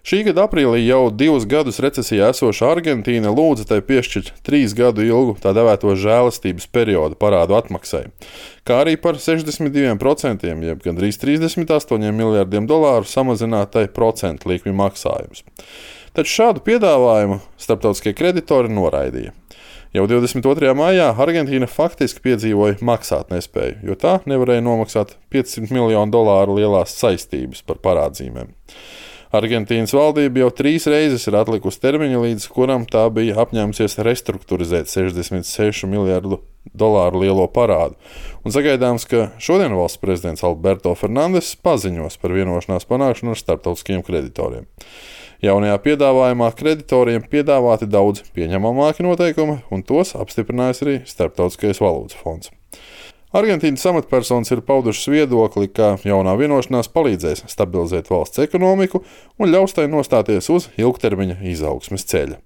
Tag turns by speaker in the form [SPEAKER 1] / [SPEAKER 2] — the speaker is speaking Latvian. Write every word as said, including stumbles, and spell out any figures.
[SPEAKER 1] Šī gada aprīlī jau divus gadus recesijā esoša Argentīna lūdza tai piešķirt trīs gadu ilgu tā dēvēto žēlastības periodu parādu atmaksai, kā arī par sešdesmit diviem procentiem, jeb gandrīz trīsdesmit astoņiem miljardiem dolāru samazināt tai procentu likmi maksājumus. Taču šādu piedāvājumu starptautiskie kreditori noraidīja. Jau divdesmit otrajā maijā Argentīna faktiski piedzīvoja maksātnespēju, jo tā nevarēja nomaksāt piecsimt miljonu dolāru lielās saistības par parādzīmēm. Argentīnas valdība jau trīs reizes ir atlikusi termiņu, līdz kuram tā bija apņēmusies restruktūrizēt sešdesmit sešu miljardu dolāru lielo parādu, un sagaidāms, ka šodien valsts prezidents Alberto Fernandes paziņos par vienošanās panākšanu ar starptautiskiem kreditoriem. Jaunajā piedāvājumā kreditoriem piedāvāti daudz pieņemamāki noteikumi, un tos apstiprinājis arī Starptautiskais valūtas fonds. Argentīnas amatpersonas ir paudušas viedokli, ka jaunā vienošanās palīdzēs stabilizēt valsts ekonomiku un ļaus tai nostāties uz ilgtermiņa izaugsmes ceļa.